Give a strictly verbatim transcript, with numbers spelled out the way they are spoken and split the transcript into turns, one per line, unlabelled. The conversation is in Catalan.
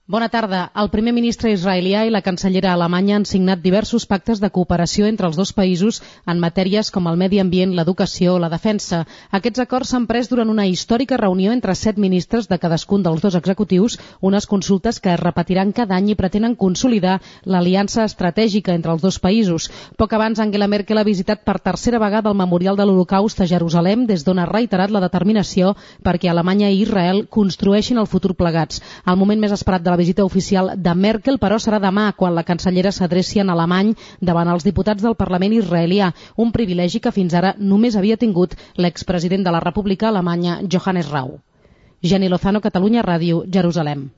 Bona tarda. El primer ministre israelià i la cancellera alemanya han signat diversos pactes de cooperació entre els dos països en matèries com el medi ambient, l'educació o la defensa. Aquests acords s'han pres durant una històrica reunió entre set ministres de cadascun dels dos executius, unes consultes que es repetiran cada any i pretenen consolidar l'aliança estratègica entre els dos països. Poc abans, Angela Merkel ha visitat per tercera vegada el Memorial de l'Holocaust a Jerusalem, des d'on ha reiterat la determinació perquè Alemanya i Israel construeixin el futur plegats. El moment més esperat de la visita oficial de Merkel, però, serà demà, quan la cancellera s'adreci en alemany davant els diputats del Parlament israelià, un privilegi que fins ara només havia tingut l'expresident de la República Alemanya, Johannes Rau. Jenny Lozano, Catalunya Ràdio, Jerusalem.